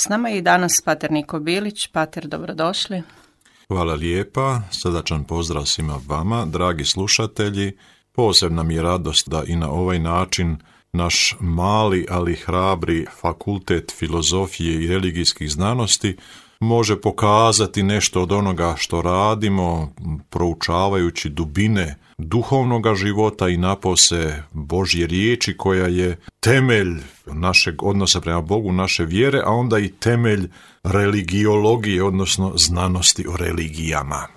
S nama je i danas pater Niko Bilić. Pater, dobrodošli. Hvala lijepa, srdačan pozdrav svima vama, dragi slušatelji. Posebna mi je radost da i na ovaj način naš mali, ali hrabri fakultet filozofije i religijskih znanosti može pokazati nešto od onoga što radimo, proučavajući dubine duhovnoga života i napose Božje riječi koja je temelj našeg odnosa prema Bogu, naše vjere, a onda i temelj religiologije, odnosno znanosti o religijama.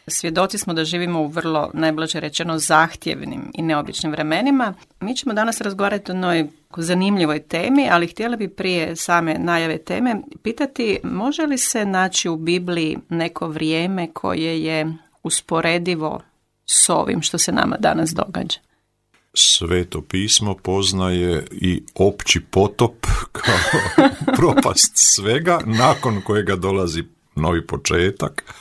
Svjedoci smo da živimo u vrlo, najblaže rečeno, zahtjevnim i neobičnim vremenima. Mi ćemo danas razgovarati o jednoj zanimljivoj temi, ali htjela bi prije same najave teme pitati može li se naći u Bibliji neko vrijeme koje je usporedivo s ovim što se nama danas događa? Sveto pismo poznaje i opći potop kao propast svega, nakon kojega dolazi novi početak.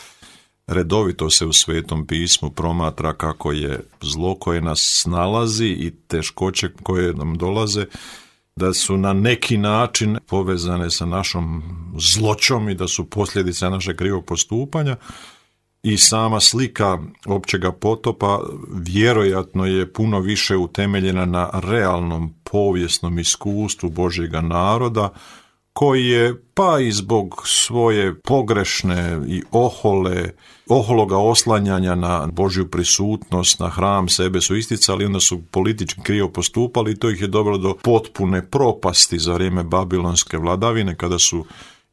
Redovito se u Svetom pismu promatra kako je zlo koje nas snalazi i teškoće koje nam dolaze, da su na neki način povezane sa našom zloćom i da su posljedice našeg krivog postupanja. I sama slika općega potopa vjerojatno je puno više utemeljena na realnom povijesnom iskustvu Božjega naroda, koji je, pa i zbog svoje pogrešne i ohologa oslanjanja na Božju prisutnost, na hram sebe su isticali, onda su politički krivo postupali i to ih je dovelo do potpune propasti za vrijeme babilonske vladavine, kada su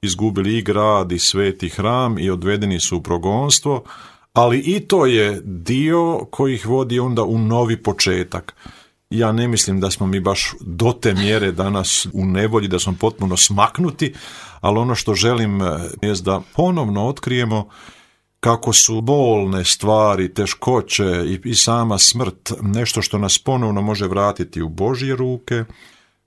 izgubili i grad i sveti hram i odvedeni su u progonstvo, ali i to je dio koji ih vodi onda u novi početak. Ja ne mislim da smo mi baš do te mjere danas u nevolji, da smo potpuno smaknuti, ali ono što želim je da ponovno otkrijemo kako su bolne stvari, teškoće i sama smrt nešto što nas ponovno može vratiti u Božje ruke,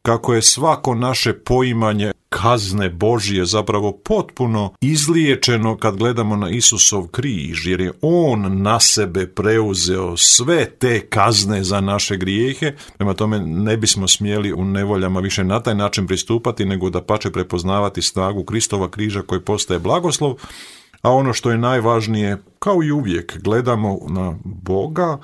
kako je svako naše poimanje kazne Božje zapravo potpuno izliječeno kad gledamo na Isusov križ, jer je on na sebe preuzeo sve te kazne za naše grijehe. Prema tome ne bismo smjeli u nevoljama više na taj način pristupati, nego dapače prepoznavati snagu Kristova križa koji postaje blagoslov. A ono što je najvažnije, kao i uvijek, gledamo na Boga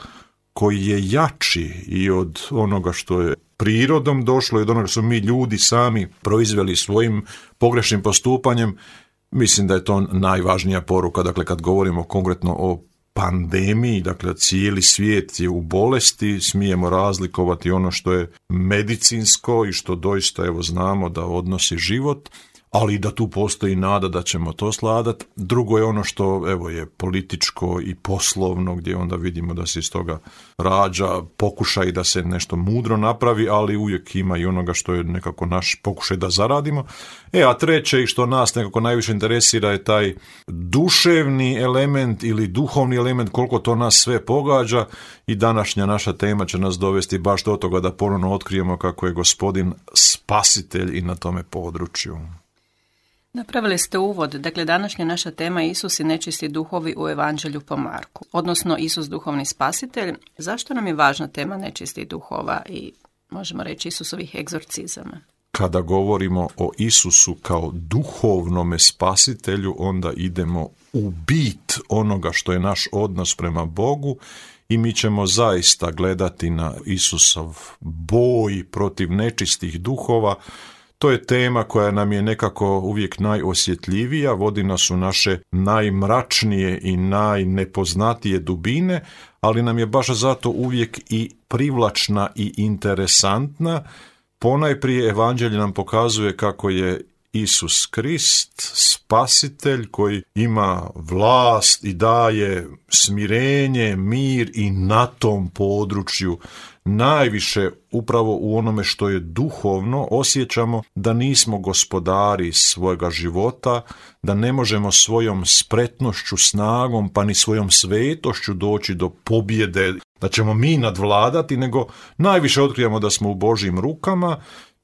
koji je jači i od onoga što je prirodom došlo i od onoga što su mi ljudi sami proizveli svojim pogrešnim postupanjem. Mislim da je to najvažnija poruka. Dakle, kad govorimo konkretno o pandemiji, dakle cijeli svijet je u bolesti, smijemo razlikovati ono što je medicinsko i što doista znamo da odnosi život, ali i da tu postoji nada da ćemo to sladati. Drugo je ono što je političko i poslovno, gdje onda vidimo da se iz toga rađa pokušaj da se nešto mudro napravi, ali uvijek ima i onoga što je nekako naš pokušaj da zaradimo. A treće, i što nas nekako najviše interesira, je taj duševni element ili duhovni element, koliko to nas sve pogađa, i današnja naša tema će nas dovesti baš do toga da ponovno otkrijemo kako je Gospodin spasitelj i na tome području. Napravili ste uvod, dakle današnja naša tema je Isus i nečisti duhovi u Evanđelju po Marku, odnosno Isus duhovni spasitelj. Zašto nam je važna tema nečistih duhova i možemo reći Isusovih egzorcizama? Kada govorimo o Isusu kao duhovnome spasitelju, onda idemo u bit onoga što je naš odnos prema Bogu i mi ćemo zaista gledati na Isusov boj protiv nečistih duhova. To je tema koja nam je nekako uvijek najosjetljivija, vodi nas u naše najmračnije i najnepoznatije dubine, ali nam je baš zato uvijek i privlačna i interesantna. Ponajprije Evanđelje nam pokazuje kako je Isus Krist, spasitelj koji ima vlast i daje smirenje, mir i na tom području najviše upravo u onome što je duhovno osjećamo da nismo gospodari svojega života, da ne možemo svojom spretnošću, snagom pa ni svojom svetošću doći do pobjede, da ćemo mi nadvladati, nego najviše otkrijemo da smo u Božjim rukama.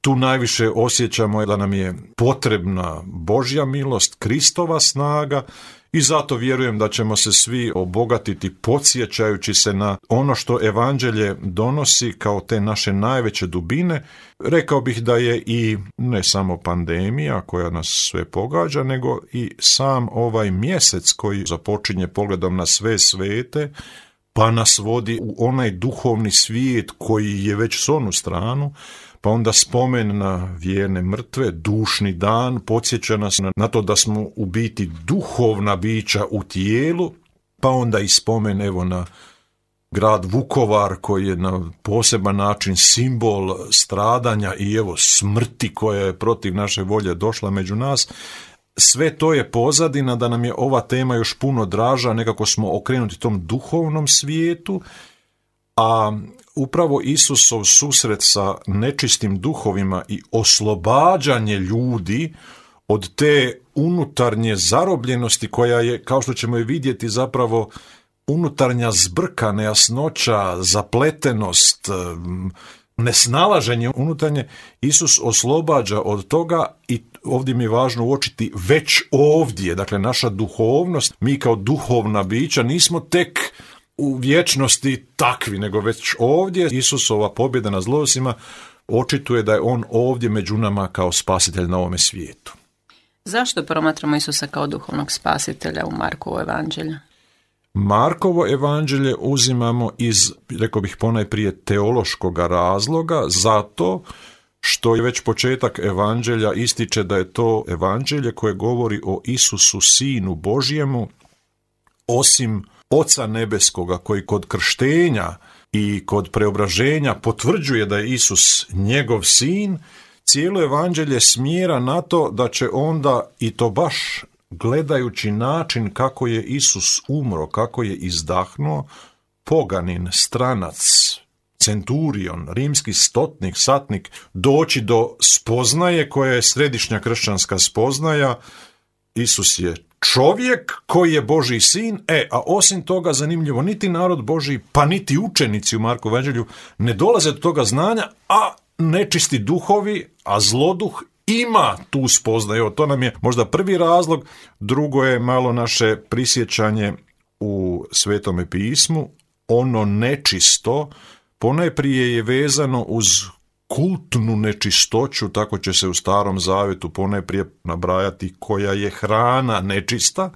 tu najviše osjećamo da nam je potrebna Božja milost, Kristova snaga i zato vjerujem da ćemo se svi obogatiti podsjećajući se na ono što evanđelje donosi kao te naše najveće dubine. Rekao bih da je i ne samo pandemija koja nas sve pogađa, nego i sam ovaj mjesec koji započinje pogledom na sve svete, pa nas vodi u onaj duhovni svijet koji je već s onu stranu, pa onda spomen na vjerne mrtve, dušni dan, podsjeća nas na to da smo u biti duhovna bića u tijelu, pa onda i spomen evo na grad Vukovar koji je na poseban način simbol stradanja i evo smrti koja je protiv naše volje došla među nas. Sve to je pozadina da nam je ova tema još puno draža, nekako smo okrenuti tom duhovnom svijetu, a upravo Isusov susret sa nečistim duhovima i oslobađanje ljudi od te unutarnje zarobljenosti koja je, kao što ćemo i vidjeti, zapravo unutarnja zbrka, nejasnoća, zapletenost, nesnalaženje unutarnje, Isus oslobađa od toga i ovdje mi je važno uočiti već ovdje, dakle naša duhovnost, mi kao duhovna bića nismo tek u vječnosti takvi, nego već ovdje Isusova pobjeda nad zlosima očituje da je on ovdje među nama kao spasitelj na ovome svijetu. Zašto promatramo Isusa kao duhovnog spasitelja u Markovo evanđelju? Markovo evanđelje uzimamo iz, rekao bih ponajprije, teološkog razloga, zato što je već početak evanđelja ističe da je to evanđelje koje govori o Isusu, Sinu Božjemu, osim Oca Nebeskoga koji kod krštenja i kod preobraženja potvrđuje da je Isus njegov sin, cijelo evanđelje smjera na to da će onda, i to baš gledajući način kako je Isus umro, kako je izdahnuo, poganin, stranac, centurion, rimski stotnik, satnik, doći do spoznaje koja je središnja kršćanska spoznaja. Isus je čovjek koji je Božji sin, a osim toga zanimljivo, niti narod Božji, pa niti učenici u Markovom evanđelju ne dolaze do toga znanja, a nečisti duhovi, a zloduh ima tu spoznaju. To nam je možda prvi razlog. Drugo je malo naše prisjećanje u Svetome pismu. Ono nečisto ponajprije je vezano uz kultnu nečistoću, tako će se u Starom Zavjetu ponajprije nabrajati koja je hrana nečista,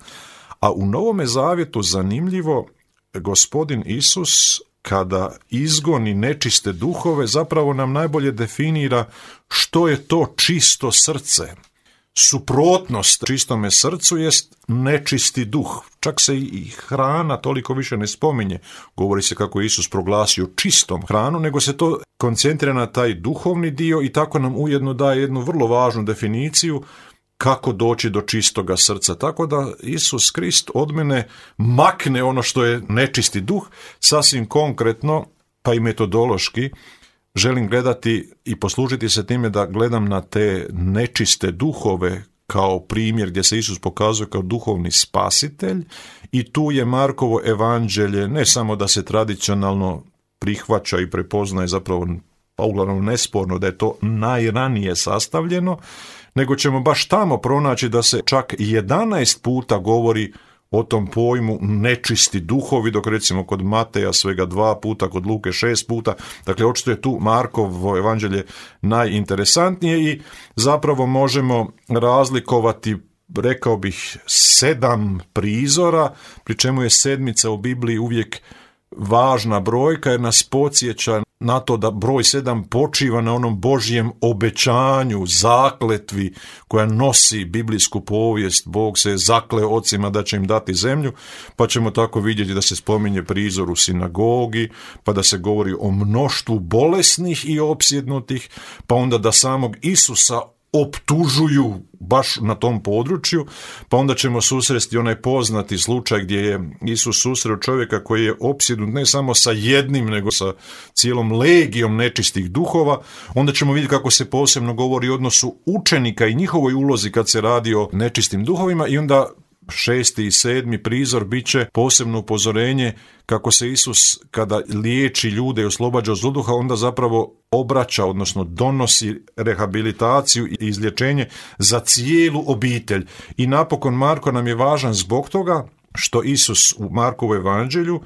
a u Novome Zavjetu zanimljivo, Gospodin Isus kada izgoni nečiste duhove zapravo nam najbolje definira što je to čisto srce. Suprotnost čistome srcu jest nečisti duh. Čak se i hrana toliko više ne spominje. Govori se kako je Isus proglasio čistom hranu, nego se to koncentrira na taj duhovni dio i tako nam ujedno daje jednu vrlo važnu definiciju kako doći do čistoga srca. Tako da Isus Krist od mene makne ono što je nečisti duh, sasvim konkretno, pa i metodološki, želim gledati i poslužiti se time da gledam na te nečiste duhove kao primjer gdje se Isus pokazuje kao duhovni spasitelj i tu je Markovo evanđelje ne samo da se tradicionalno prihvaća i prepoznaje, zapravo pa uglavnom nesporno da je to najranije sastavljeno, nego ćemo baš tamo pronaći da se čak 11 puta govori o tom pojmu nečisti duhovi, dok recimo kod Mateja svega 2 puta, kod Luke 6 puta. Dakle, očito je tu Markovo evanđelje najinteresantnije i zapravo možemo razlikovati, rekao bih, 7 prizora, pri čemu je sedmica u Bibliji uvijek važna brojka jer nas podsjeća na to da broj 7 počiva na onom Božjem obećanju, zakletvi koja nosi biblijsku povijest. Bog se zakleo ocima da će im dati zemlju, pa ćemo tako vidjeti da se spominje prizor u sinagogi, pa da se govori o mnoštvu bolesnih i opsjednutih, pa onda da samog Isusa optužuju baš na tom području, pa onda ćemo susresti onaj poznati slučaj gdje je Isus susreo čovjeka koji je opsjednut ne samo sa jednim, nego sa cijelom legijom nečistih duhova. Onda ćemo vidjeti kako se posebno govori o odnosu učenika i njihovoj ulozi kad se radi o nečistim duhovima i onda 6. i 7. prizor bit će posebno upozorenje kako se Isus kada liječi ljude i oslobađa od zloduha, onda zapravo obraća, odnosno donosi rehabilitaciju i izlječenje za cijelu obitelj. I napokon Marko nam je važan zbog toga što Isus u Markovu evanđelju,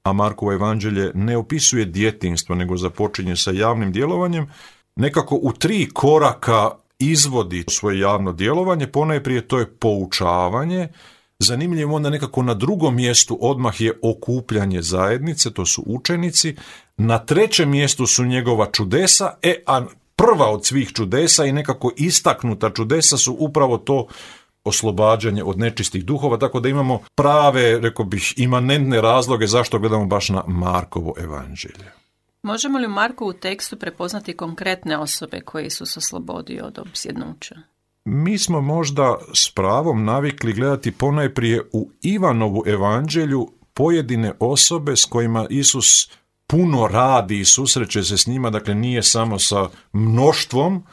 a Markovo evanđelje ne opisuje djetinjstvo, nego započinje sa javnim djelovanjem, nekako u 3 koraka izvodi svoje javno djelovanje. Ponajprije to je poučavanje, zanimljivo onda nekako na drugom mjestu odmah je okupljanje zajednice, to su učenici, na 3. mjestu su njegova čudesa, a prva od svih čudesa i nekako istaknuta čudesa su upravo to oslobađanje od nečistih duhova, tako da imamo prave, rekao bih, imanentne razloge zašto gledamo baš na Markovo evanđelje. Možemo li u Markovu tekstu prepoznati konkretne osobe koje Isus oslobodio od opsjednuća? Mi smo možda s pravom navikli gledati ponajprije u Ivanovu evanđelju pojedine osobe s kojima Isus puno radi i susreće se s njima, dakle nije samo sa mnoštvom.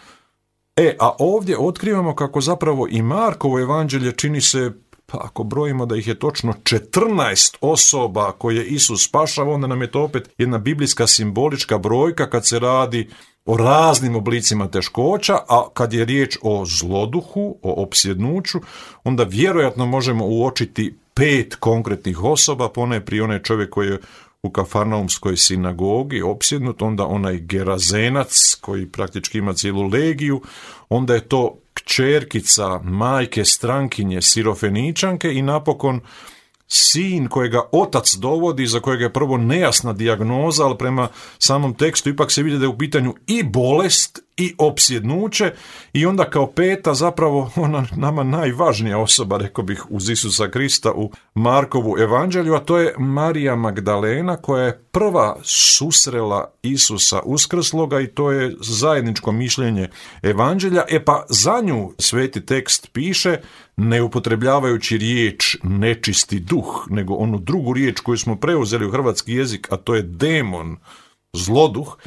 A ovdje otkrivamo kako zapravo i Markovo evanđelje čini se, pa ako brojimo da ih je točno 14 osoba koje Isus spašava, onda nam je to opet jedna biblijska simbolička brojka kad se radi o raznim oblicima teškoća, a kad je riječ o zloduhu, o opsjednuću, onda vjerojatno možemo uočiti 5 konkretnih osoba, ponajprije onaj čovjek koji je u Kafarnaumskoj sinagogi opsjednut, onda onaj Gerazenac koji praktički ima cijelu legiju, onda je to kćerkica majke strankinje Sirofeničanke i napokon sin kojega otac dovodi, za kojega je prvo nejasna dijagnoza, ali prema samom tekstu ipak se vidi da je u pitanju i bolest i opsjednuće, i onda kao 5. zapravo ona nama najvažnija osoba, rekao bih, uz Isusa Krista u Markovu evanđelju, a to je Marija Magdalena, koja je prva susrela Isusa uskrsloga, i to je zajedničko mišljenje evanđelja. Pa za nju sveti tekst piše, ne upotrebljavajući riječ nečisti duh, nego onu drugu riječ koju smo preuzeli u hrvatski jezik, a to je demon, zloduh.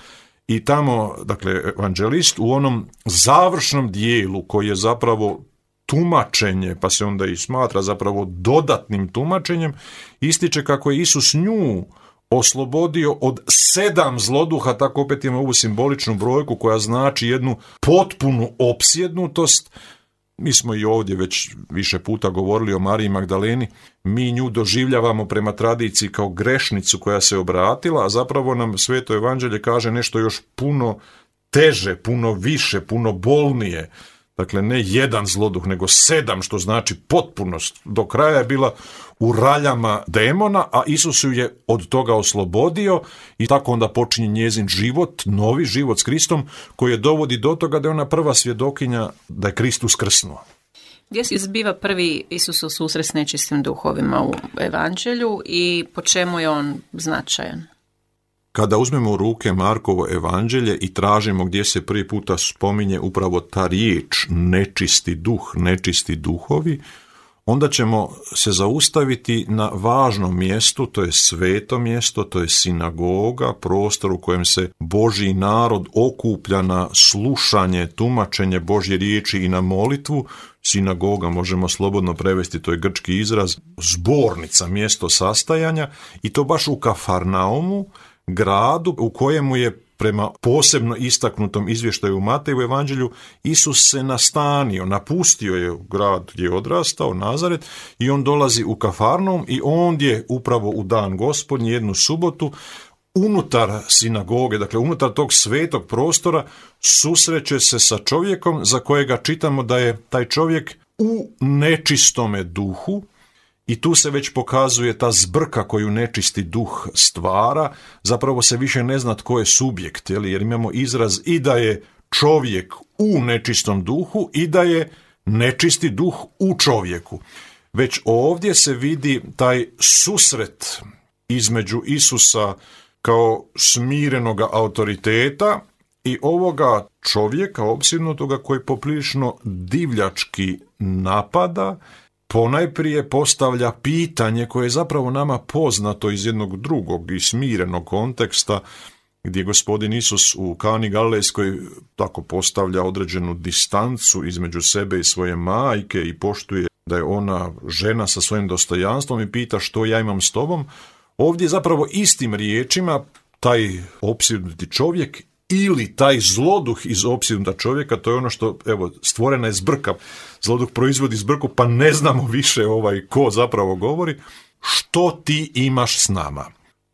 I tamo, dakle, evanđelist u onom završnom dijelu koji je zapravo tumačenje, pa se onda i smatra zapravo dodatnim tumačenjem, ističe kako je Isus nju oslobodio od 7 zloduha, tako opet imamo ovu simboličnu brojku koja znači jednu potpunu opsjednutost. Mi smo i ovdje već više puta govorili o Mariji Magdaleni, mi nju doživljavamo prema tradiciji kao grešnicu koja se obratila, a zapravo nam Sveto evanđelje kaže nešto još puno teže, puno više, puno bolnije. Dakle, ne 1 zloduh, nego 7, što znači potpunost. Do kraja je bila u raljama demona, a Isus ju je od toga oslobodio i tako onda počinje njezin život, novi život s Kristom, koji je dovodi do toga da je ona prva svjedokinja da je Krist uskrsnuo. Gdje se zbiva prvi Isusov susret s nečistim duhovima u evanđelju i po čemu je on značajan? Kada uzmemo u ruke Markovo evanđelje i tražimo gdje se prvi puta spominje upravo ta riječ nečisti duh, nečisti duhovi, onda ćemo se zaustaviti na važnom mjestu, to je sveto mjesto, to je sinagoga, prostor u kojem se Božji narod okuplja na slušanje, tumačenje Božje riječi i na molitvu. Sinagoga možemo slobodno prevesti, to je grčki izraz, zbornica, mjesto sastajanja, i to baš u Kafarnaumu, gradu u kojemu je prema posebno istaknutom izvještaju u Mateju evanđelju Isus se nastanio, napustio je grad gdje je odrastao, Nazaret, i on dolazi u Kafarnaum i ondje upravo u dan Gospodnji, jednu subotu, unutar sinagoge, dakle unutar tog svetog prostora, susreće se sa čovjekom za kojega čitamo da je taj čovjek u nečistome duhu. I tu se već pokazuje ta zbrka koju nečisti duh stvara, zapravo se više ne zna tko je subjekt, jer imamo izraz i da je čovjek u nečistom duhu i da je nečisti duh u čovjeku. Već ovdje se vidi taj susret između Isusa kao smirenoga autoriteta i ovoga čovjeka opsjednutoga koji poprilično divljački napada, ponajprije postavlja pitanje koje je zapravo nama poznato iz jednog drugog i smirenog konteksta, gdje gospodin Isus u Kani Galilejskoj tako postavlja određenu distancu između sebe i svoje majke i poštuje da je ona žena sa svojim dostojanstvom i pita što ja imam s tobom. Ovdje zapravo istim riječima taj opsjednuti čovjek ili taj zloduh iz opsjednuta čovjeka, to je ono što, evo, stvorena je zbrka. Zloduh proizvodi zbrku, pa ne znamo više ko zapravo govori. Što ti imaš s nama?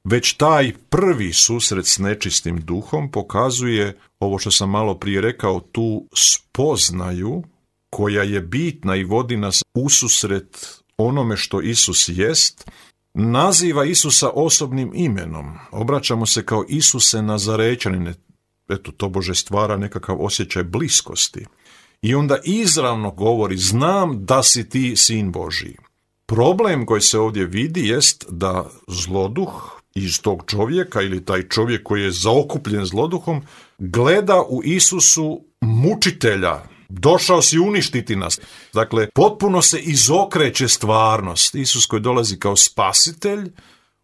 Već taj prvi susret s nečistim duhom pokazuje ovo što sam malo prije rekao, tu spoznaju koja je bitna i vodi nas ususret onome što Isus jest. Naziva Isusa osobnim imenom. Obraćamo se kao Isuse Nazarećanine. Eto, tobože stvara nekakav osjećaj bliskosti. I onda izravno govori, znam da si ti sin Božji. Problem koji se ovdje vidi jest da zloduh iz tog čovjeka ili taj čovjek koji je zaokupljen zloduhom gleda u Isusu mučitelja. Došao si uništiti nas. Dakle, potpuno se izokreće stvarnost. Isus koji dolazi kao spasitelj,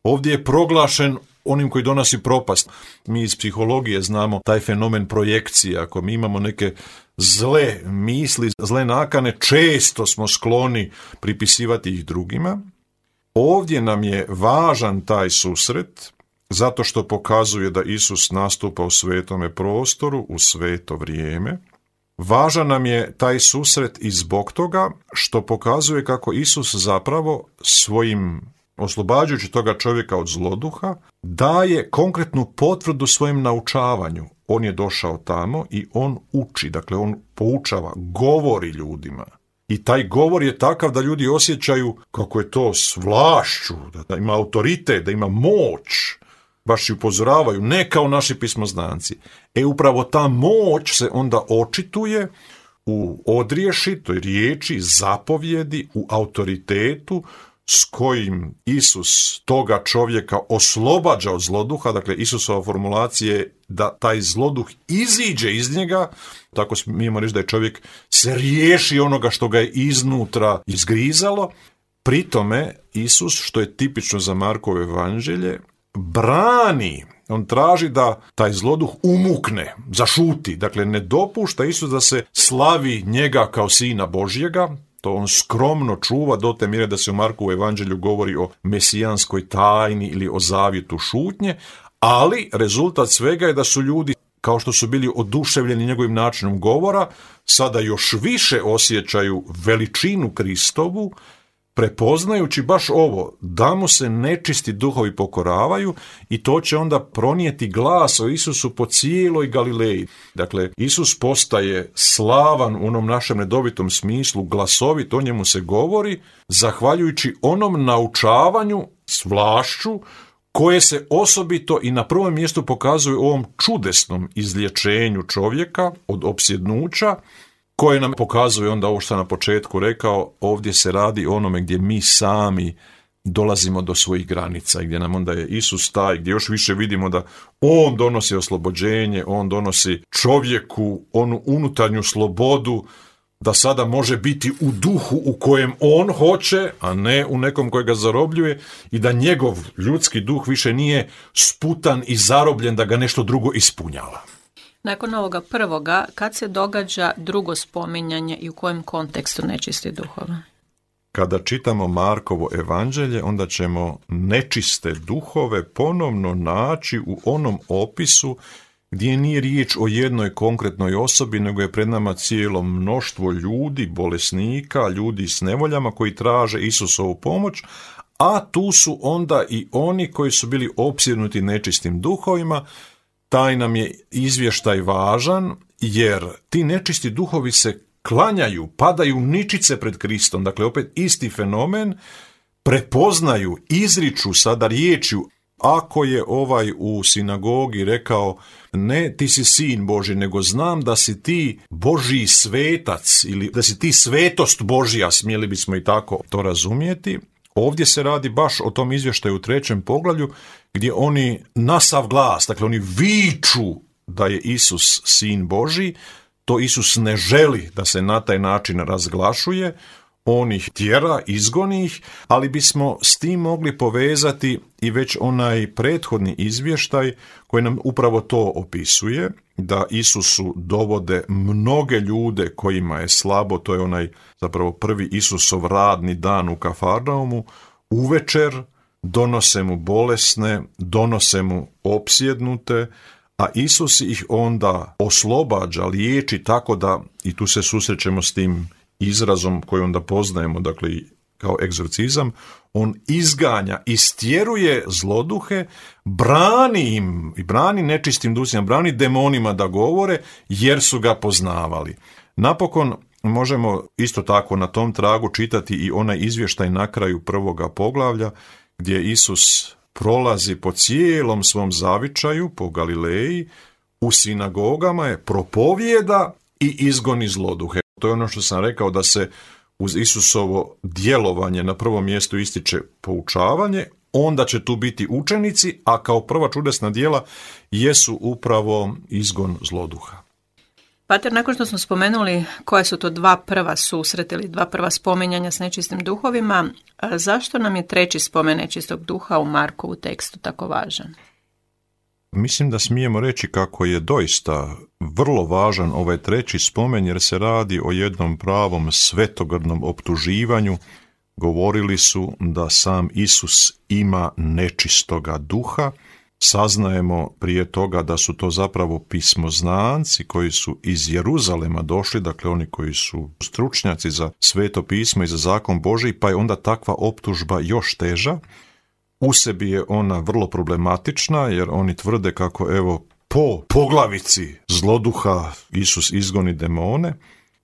ovdje je proglašen onim koji donosi propast. Mi iz psihologije znamo taj fenomen projekcije. Ako mi imamo neke zle misli, zle nakane, često smo skloni pripisivati ih drugima. Ovdje nam je važan taj susret, zato što pokazuje da Isus nastupa u svetome prostoru, u sveto vrijeme. Važan nam je taj susret i zbog toga što pokazuje kako Isus zapravo svojim, oslobađajući toga čovjeka od zloduha, daje konkretnu potvrdu svojem naučavanju. On je došao tamo i on uči, dakle on poučava, govori ljudima. I taj govor je takav da ljudi osjećaju kako je to s vlašću, da ima autoritet, da ima moć. Baš i upozoravaju, ne kao naši pismoznanci. Upravo ta moć se onda očituje u odriješitoj riječi, zapovjedi, u autoritetu s kojim Isus toga čovjeka oslobađa od zloduha. Dakle, Isusova formulacija je da taj zloduh iziđe iz njega. Tako mi imamo reći da je čovjek se riješi onoga što ga je iznutra izgrizalo. Pri tome Isus, što je tipično za Markovo evanđelje, brani, on traži da taj zloduh umukne, zašuti, dakle ne dopušta Isus da se slavi njega kao sina Božjega, to on skromno čuva do te mjere da se u Markovu evanđelju govori o mesijanskoj tajni ili o zavjetu šutnje, ali rezultat svega je da su ljudi, kao što su bili oduševljeni njegovim načinom govora, sada još više osjećaju veličinu Kristovu, prepoznajući baš ovo, da mu se nečisti duhovi pokoravaju i to će onda pronijeti glas o Isusu po cijeloj Galileji. Dakle, Isus postaje slavan u onom našem redovitom smislu, glasovit, o njemu se govori, zahvaljujući onom naučavanju s vlašću koje se osobito i na prvom mjestu pokazuje u ovom čudesnom izlječenju čovjeka od opsjednuća, koje nam pokazuje onda ovo što sam na početku rekao, ovdje se radi o onome gdje mi sami dolazimo do svojih granica i gdje nam onda je Isus taj, gdje još više vidimo da on donosi oslobođenje, on donosi čovjeku onu unutarnju slobodu, da sada može biti u duhu u kojem on hoće, a ne u nekom koji ga zarobljuje i da njegov ljudski duh više nije sputan i zarobljen da ga nešto drugo ispunjava. Nakon ovoga prvoga, kad se događa drugo spominjanje i u kojem kontekstu nečisti duhova? Kada čitamo Markovo evanđelje, onda ćemo nečiste duhove ponovno naći u onom opisu gdje nije riječ o jednoj konkretnoj osobi, nego je pred nama cijelo mnoštvo ljudi, bolesnika, ljudi s nevoljama koji traže Isusovu pomoć, a tu su onda i oni koji su bili opsjednuti nečistim duhovima. Taj nam je izvještaj važan, jer ti nečisti duhovi se klanjaju, padaju ničice pred Kristom. Dakle, opet isti fenomen, prepoznaju, izriču sada riječju. Ako je ovaj u sinagogi rekao, ne ti si sin Božji, nego znam da si ti Božji svetac ili da si ti svetost Božja, smjeli bismo i tako to razumjeti. Ovdje se radi baš o tom izvještaju u 3. poglavlju gdje oni na sav glas, dakle oni viču da je Isus sin Božji, to Isus ne želi da se na taj način razglašuje, on ih tjera, izgoni ih, ali bismo s tim mogli povezati i već onaj prethodni izvještaj koji nam upravo to opisuje, da Isusu dovode mnoge ljude kojima je slabo, to je onaj zapravo prvi Isusov radni dan u Kafarnaumu, uvečer donose mu bolesne, donose mu opsjednute, a Isus ih onda oslobađa, liječi tako da, i tu se susrećemo s tim izrazom koji onda poznajemo, dakle kao egzorcizam, on izganja, istjeruje zloduhe, brani im i brani nečistim dusima, brani demonima da govore jer su ga poznavali. Napokon možemo isto tako na tom tragu čitati i onaj izvještaj na kraju prvoga poglavlja gdje Isus prolazi po cijelom svom zavičaju, po Galileji, u sinagogama je, propovijeda i izgoni zloduhe. To je ono što sam rekao, da se uz Isusovo djelovanje na prvom mjestu ističe poučavanje, onda će tu biti učenici, a kao prva čudesna djela jesu upravo izgon zloduha. Pater, nakon što smo spomenuli koja su to dva prva susreta ili dva prva spominjanja s nečistim duhovima, zašto nam je treći spomen nečistog duha u Markovu tekstu tako važan? Mislim da smijemo reći kako je doista vrlo važan ovaj treći spomen, jer se radi o jednom pravom svetogrdnom optuživanju. Govorili su da sam Isus ima nečistoga duha. Saznajemo prije toga da su to zapravo pismoznanci koji su iz Jeruzalema došli, dakle oni koji su stručnjaci za sveto pismo i za zakon Božji, pa je onda takva optužba još teža. U sebi je ona vrlo problematična, jer oni tvrde kako evo po poglavici zloduha Isus izgoni demone.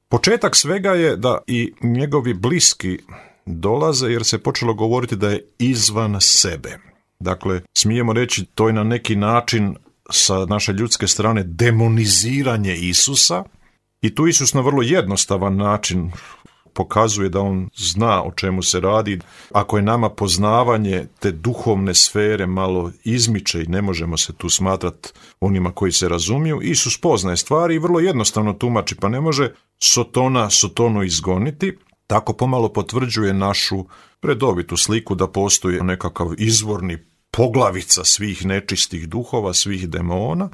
Početak svega je da i njegovi bliski dolaze, jer se počelo govoriti da je izvan sebe. Dakle, smijemo reći, to je na neki način sa naše ljudske strane demoniziranje Isusa, i tu Isus na vrlo jednostavan način pokazuje da on zna o čemu se radi. Ako je nama poznavanje te duhovne sfere malo izmiče i ne možemo se tu smatrati onima koji se razumiju, Isus poznaje stvari i vrlo jednostavno tumači, pa ne može Sotona Sotonu izgoniti. Tako pomalo potvrđuje našu redovitu sliku da postoji nekakav izvorni poglavica svih nečistih duhova, svih demona,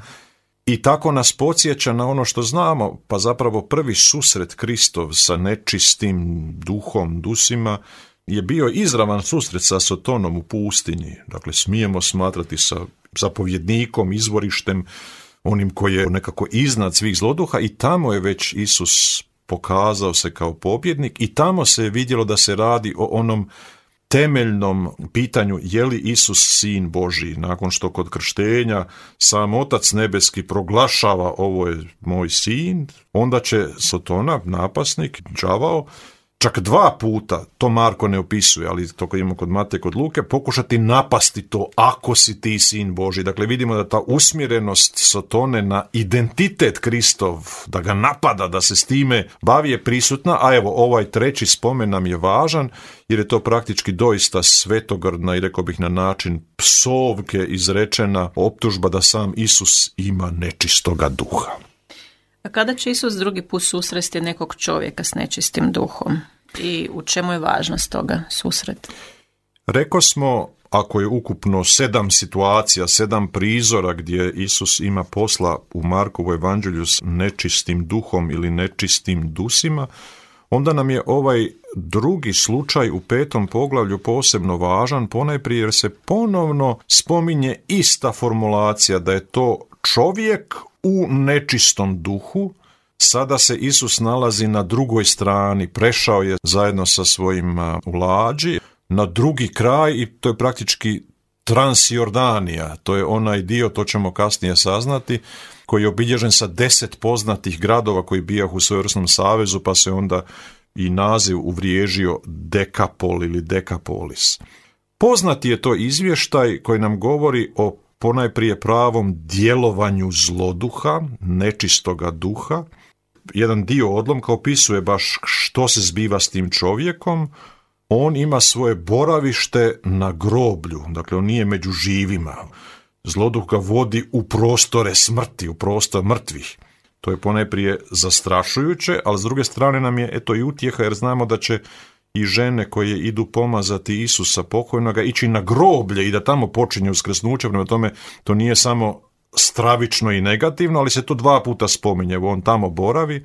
i tako nas podsjeća na ono što znamo, pa zapravo prvi susret Kristov sa nečistim duhom, dusima, je bio izravan susret sa Sotonom u pustinji. Dakle, smijemo smatrati sa zapovjednikom, izvorištem, onim koji je nekako iznad svih zloduha, i tamo je već Isus pokazao se kao pobjednik, i tamo se je vidjelo da se radi o onom temeljnom pitanju je li Isus sin Božji. Nakon što kod krštenja sam Otac nebeski proglašava ovo je moj sin, onda će Sotona, napasnik, đavao, čak 2 puta, to Marko ne opisuje, ali to kad imamo kod Mateje, kod Luke, pokušati napasti to ako si ti sin Božji. Dakle, vidimo da ta usmjerenost Sotone na identitet Kristov, da ga napada, da se s time bavi, je prisutna, a evo ovaj treći spomen nam je važan, jer je to praktički doista svetogrdna i rekao bih na način psovke izrečena optužba da sam Isus ima nečistoga duha. A kada će Isus drugi put susresti nekog čovjeka s nečistim duhom i u čemu je važnost toga susreta? Rekao smo, ako je ukupno 7 situacija, 7 prizora gdje Isus ima posla u Markovu evanđelju s nečistim duhom ili nečistim dusima, onda nam je ovaj drugi slučaj u 5. poglavlju posebno važan, ponajprije jer se ponovno spominje ista formulacija da je to čovjek u nečistom duhu. Sada se Isus nalazi na drugoj strani, prešao je zajedno sa svojim u lađi na drugi kraj, i to je praktički Transjordanija, to je onaj dio, to ćemo kasnije saznati, koji je obilježen sa 10 poznatih gradova koji bijahu u svojevrsnom savezu, pa se onda i naziv uvriježio Dekapol ili Dekapolis. Poznati je to izvještaj koji nam govori o ponajprije pravom djelovanju zloduha, nečistoga duha. Jedan dio odlomka opisuje baš što se zbiva s tim čovjekom. On ima svoje boravište na groblju, dakle on nije među živima. Zloduh ga vodi u prostore smrti, u prostor mrtvih. To je ponajprije zastrašujuće, ali s druge strane nam je eto i utjeha, jer znamo da će i žene koje idu pomazati Isusa pokojnoga, ići na groblje i da tamo počinje uskrsnuće. Prema tome, to nije samo stravično i negativno, ali se to 2 puta spominje. On tamo boravi,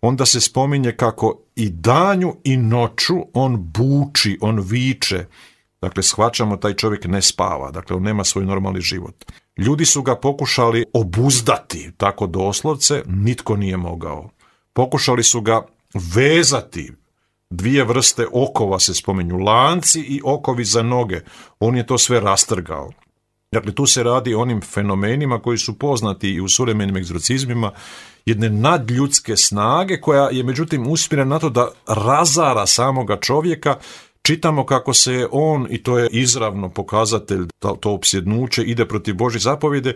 onda se spominje kako i danju i noću on buči, on viče. Dakle, shvaćamo, taj čovjek ne spava, dakle, on nema svoj normalni život. Ljudi su ga pokušali obuzdati, tako doslovce, nitko nije mogao. Pokušali su ga vezati, 2 vrste okova se spominju, lanci i okovi za noge. On je to sve rastrgao. Dakle, tu se radi o onim fenomenima koji su poznati i u suvremenim egzorcizmima, jedne nadljudske snage koja je međutim usmjerena na to da razara samoga čovjeka. Čitamo kako se on, i to je izravno pokazatelj, to opsjednuće ide protiv Božje zapovjede,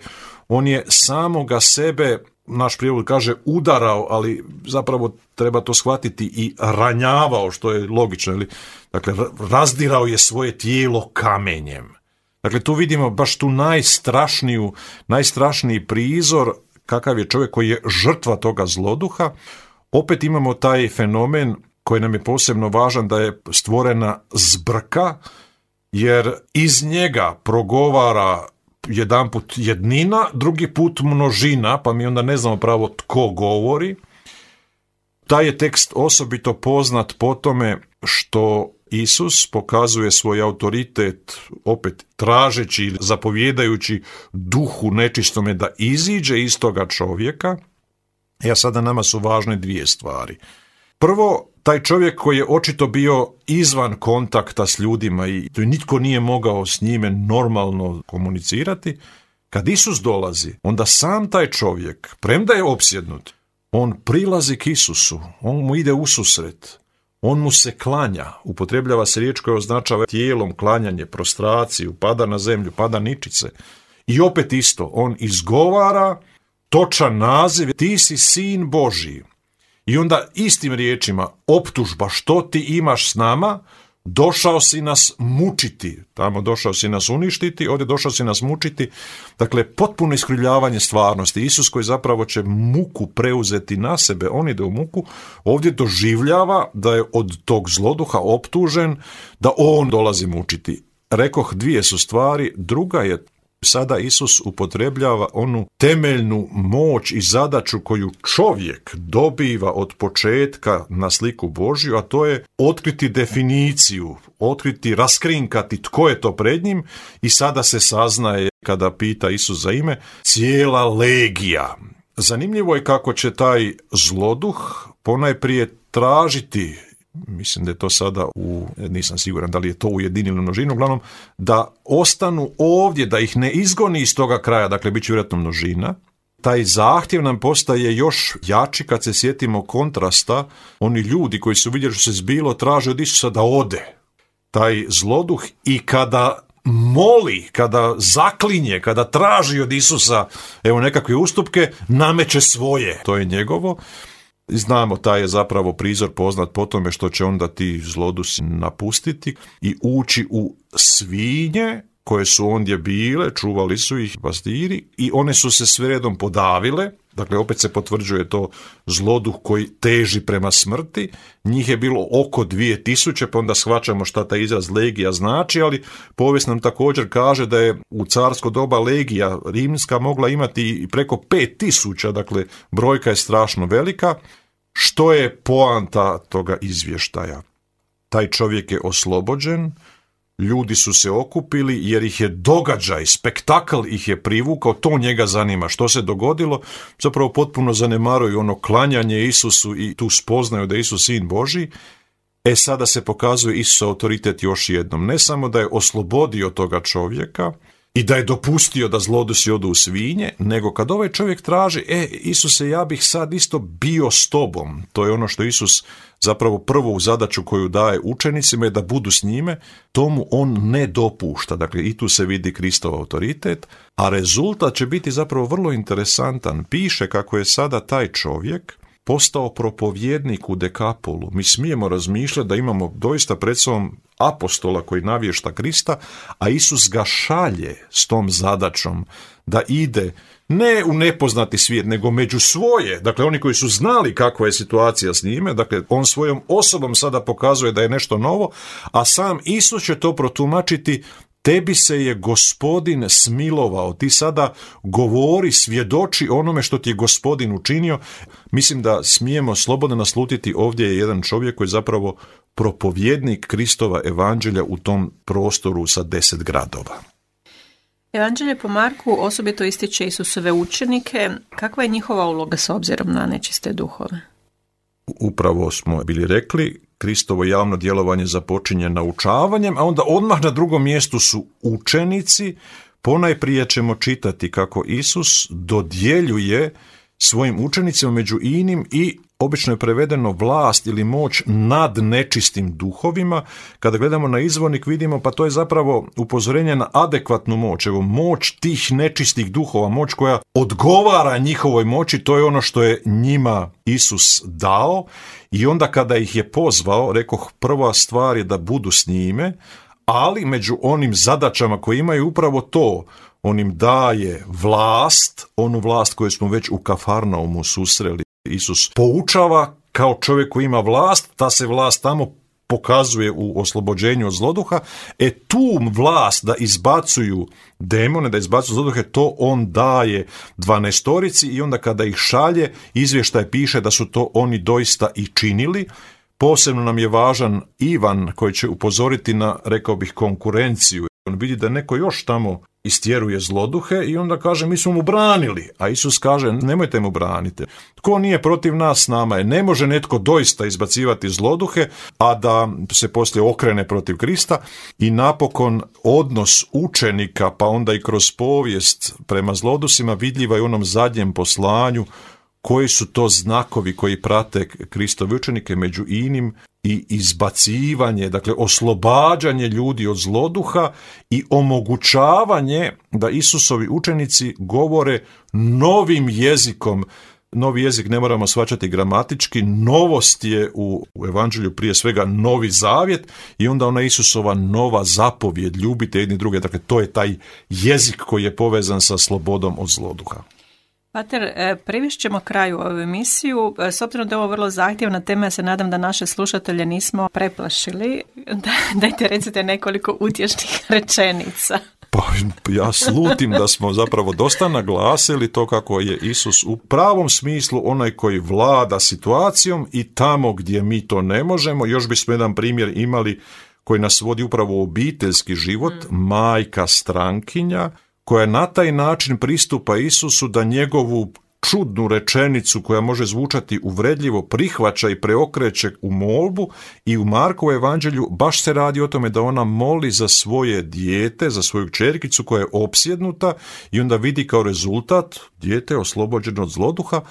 on je samoga sebe, naš prijevod kaže, udarao, ali zapravo treba to shvatiti, i ranjavao, što je logično. Dakle, razdirao je svoje tijelo kamenjem. Dakle, tu vidimo baš tu najstrašniji prizor kakav je čovjek koji je žrtva toga zloduha. Opet imamo taj fenomen koji nam je posebno važan, da je stvorena zbrka, jer iz njega progovara jedanput jednina, drugi put množina, pa mi onda ne znamo pravo tko govori. Taj je tekst osobito poznat po tome što Isus pokazuje svoj autoritet, opet tražeći ili zapovjedajući duhu nečistome da iziđe iz toga čovjeka. A sada nama su važne 2 stvari. Prvo, taj čovjek koji je očito bio izvan kontakta s ljudima i nitko nije mogao s njime normalno komunicirati, kad Isus dolazi, onda sam taj čovjek, premda je opsjednut, on prilazi k Isusu, on mu ide ususret, on mu se klanja, upotrebljava se riječ koja označava tijelom klanjanje, prostraciju, pada na zemlju, pada ničice. I opet isto, on izgovara točan naziv, ti si sin Božji. I onda istim riječima optužba, što ti imaš s nama, došao si nas mučiti, tamo došao si nas uništiti, ovdje došao si nas mučiti. Dakle, potpuno iskrivljavanje stvarnosti. Isus koji zapravo će muku preuzeti na sebe, on ide u muku, ovdje doživljava da je od tog zloduha optužen, da on dolazi mučiti. Rekoh, 2 su stvari, druga je, sada Isus upotrebljava onu temeljnu moć i zadaću koju čovjek dobiva od početka na sliku Božju, a to je otkriti definiciju, raskrinkati tko je to pred njim, i sada se saznaje, kada pita Isus za ime, cijela legija. Zanimljivo je kako će taj zloduh ponajprije tražiti, mislim da je to sada nisam siguran da li je to u jedini ili množinu, uglavnom da ostanu ovdje, da ih ne izgoni iz toga kraja, dakle bit će vjerojatno množina. Taj zahtjev nam postaje još jači kad se sjetimo kontrasta, oni ljudi koji su vidjeli što se zbilo traže od Isusa da ode. Taj zloduh i kada moli, kada zaklinje, kada traži od Isusa nekakve ustupke, nameće svoje, to je njegovo. Znamo, taj je zapravo prizor poznat po tome što će onda ti zlodusi napustiti i ući u svinje koje su ondje bile, čuvali su ih pastiri i one su se sve redom podavile. Dakle, opet se potvrđuje to zloduh koji teži prema smrti. Njih je bilo oko 2000, pa onda shvaćamo šta taj izraz legija znači, ali povijest nam također kaže da je u carsko doba legija rimska mogla imati i preko 5000, dakle brojka je strašno velika. Što je poanta toga izvještaja? Taj čovjek je oslobođen, ljudi su se okupili jer ih je događaj, spektakl ih je privukao, to njega zanima. Što se dogodilo? Zapravo potpuno zanemaruju ono klanjanje Isusu i tu spoznaju da je Isus sin Božji. Sada se pokazuje Isus autoritet još jednom. Ne samo da je oslobodio toga čovjeka i da je dopustio da zlodusi odu u svinje, nego kad ovaj čovjek traži, Isuse, ja bih sad isto bio s tobom. To je ono što Isus zapravo prvu zadaću koju daje učenicima je da budu s njime, tomu on ne dopušta. Dakle, i tu se vidi Kristov autoritet, a rezultat će biti zapravo vrlo interesantan. Piše kako je sada taj čovjek postao propovjednik u Dekapolu. Mi smijemo razmišljati da imamo doista pred sobom apostola koji navješta Krista, a Isus ga šalje s tom zadaćom da ide ne u nepoznati svijet, nego među svoje, dakle oni koji su znali kakva je situacija s njime, dakle on svojom osobom sada pokazuje da je nešto novo, a sam Isus će to protumačiti: tebi se je Gospodin smilovao, ti sada govori, svjedoči onome što ti je Gospodin učinio. Mislim da smijemo slobodno naslutiti, ovdje je jedan čovjek koji je zapravo propovjednik Kristova evanđelja u tom prostoru sa 10 gradova. Evanđelje po Marku osobito ističe Isusove učenike. Kakva je njihova uloga s obzirom na nečiste duhove? Upravo smo bili rekli, Kristovo javno djelovanje započinje naučavanjem, a onda odmah na drugom mjestu su učenici. Ponajprije ćemo čitati kako Isus dodjeljuje svojim učenicima među inim i obično je prevedeno vlast ili moć nad nečistim duhovima. Kada gledamo na izvornik vidimo pa to je zapravo upozorenje na adekvatnu moć. Evo, moć tih nečistih duhova, moć koja odgovara njihovoj moći, to je ono što je njima Isus dao. I onda kada ih je pozvao, rekoh, prva stvar je da budu s njime, ali među onim zadaćama koje imaju upravo to, on im daje vlast, onu vlast koju smo već u Kafarnaumu susreli. Isus poučava kao čovjek koji ima vlast, ta se vlast tamo pokazuje u oslobođenju od zloduha, tu vlast da izbacuju demone, da izbacuju zloduhe, to on daje 12 i onda kada ih šalje, izvještaj piše da su to oni doista i činili. Posebno nam je važan Ivan koji će upozoriti na, rekao bih, konkurenciju. On vidi da neko još tamo istjeruje zloduhe i onda kaže mi smo mu branili, a Isus kaže nemojte mu braniti. Tko nije protiv nas, s nama je. Ne može netko doista izbacivati zloduhe, a da se poslije okrene protiv Krista. I napokon odnos učenika, pa onda i kroz povijest prema zlodusima vidljiva je u onom zadnjem poslanju. Koji su to znakovi koji prate Kristove učenike, među inim i izbacivanje, dakle oslobađanje ljudi od zloduha i omogućavanje da Isusovi učenici govore novim jezikom. Novi jezik ne moramo shvaćati gramatički, novost je u evanđelju prije svega Novi Zavjet i onda ona Isusova nova zapovjed, ljubite jedni druge, dakle to je taj jezik koji je povezan sa slobodom od zloduha. Pater, privešćemo kraju ovu emisiju. S obzirom da je ovo vrlo zahtjevna tema, ja se nadam da naše slušatelje nismo preplašili. Dajte recite nekoliko utješnih rečenica. Pa ja slutim da smo zapravo dosta naglasili to kako je Isus u pravom smislu onaj koji vlada situacijom i tamo gdje mi to ne možemo. Još bismo jedan primjer imali koji nas vodi upravo u obiteljski život, majka strankinja, koja na taj način pristupa Isusu da njegovu čudnu rečenicu koja može zvučati uvredljivo prihvaća i preokreće u molbu i u Markovu evanđelju baš se radi o tome da ona moli za svoje dijete, za svoju kćerkicu koja je opsjednuta i onda vidi kao rezultat dijete oslobođeno od zloduha.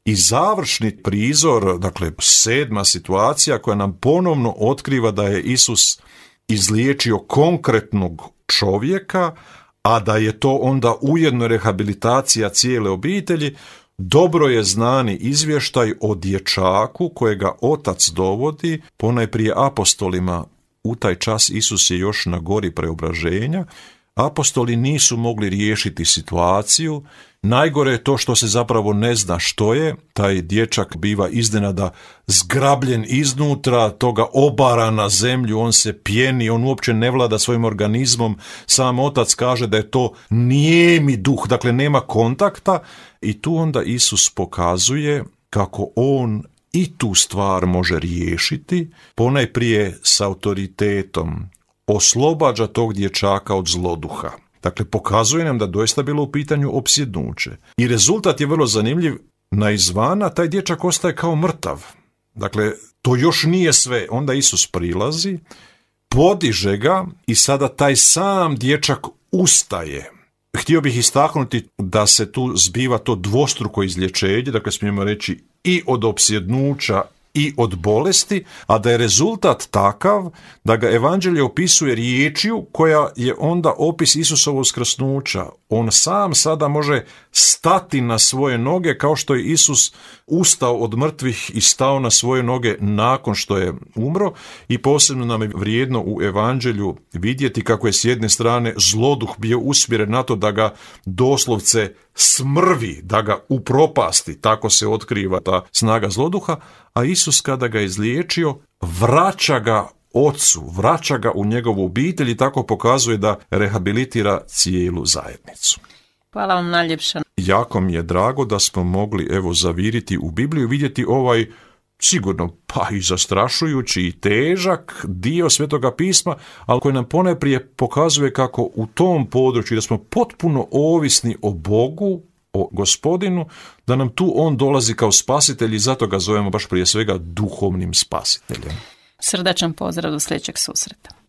I završni prizor, dakle 7. situacija koja nam ponovno otkriva da je Isus izliječio konkretnog čovjeka, a da je to onda ujedno rehabilitacija cijele obitelji. Dobro je znani izvještaj o dječaku kojega otac dovodi, ponajprije apostolima. U taj čas Isus je još na gori preobraženja. Apostoli nisu mogli riješiti situaciju. Najgore je to što se zapravo ne zna što je. Taj dječak biva iznenada zgrabljen iznutra, toga obara na zemlju, on se pjeni, on uopće ne vlada svojim organizmom. Sam otac kaže da je to nijemi duh, dakle nema kontakta. I tu onda Isus pokazuje kako on i tu stvar može riješiti, ponajprije s autoritetom. Oslobađa tog dječaka od zloduha. Dakle, pokazuje nam da doista bilo u pitanju opsjednuće. I rezultat je vrlo zanimljiv. Na izvana taj dječak ostaje kao mrtav. Dakle, to još nije sve. Onda Isus prilazi, podiže ga i sada taj sam dječak ustaje. Htio bih istaknuti da se tu zbiva to dvostruko izlječenje, dakle smijemo reći i od opsjednuća i od bolesti, a da je rezultat takav da ga evanđelje opisuje riječju koja je onda opis Isusovog uskrsnuća. On sam sada može stati na svoje noge kao što je Isus ustao od mrtvih i stao na svoje noge nakon što je umro, i posebno nam je vrijedno u evanđelju vidjeti kako je s jedne strane zloduh bio usmjeren na to da ga doslovce smrvi, da ga upropasti, tako se otkriva ta snaga zloduha, a Isus kada ga je izliječio, vraća ga ocu, vraća ga u njegovu obitelj i tako pokazuje da rehabilitira cijelu zajednicu. Hvala vam najljepša. Jako mi je drago da smo mogli zaviriti u Bibliju, vidjeti ovaj sigurno pa i zastrašujući i težak dio Svetoga pisma, ali koji nam ponajprije pokazuje kako u tom području da smo potpuno ovisni o Bogu, o Gospodinu, da nam tu on dolazi kao spasitelj i zato ga zovemo baš prije svega duhovnim spasiteljem. Srdačan pozdrav do sljedećeg susreta.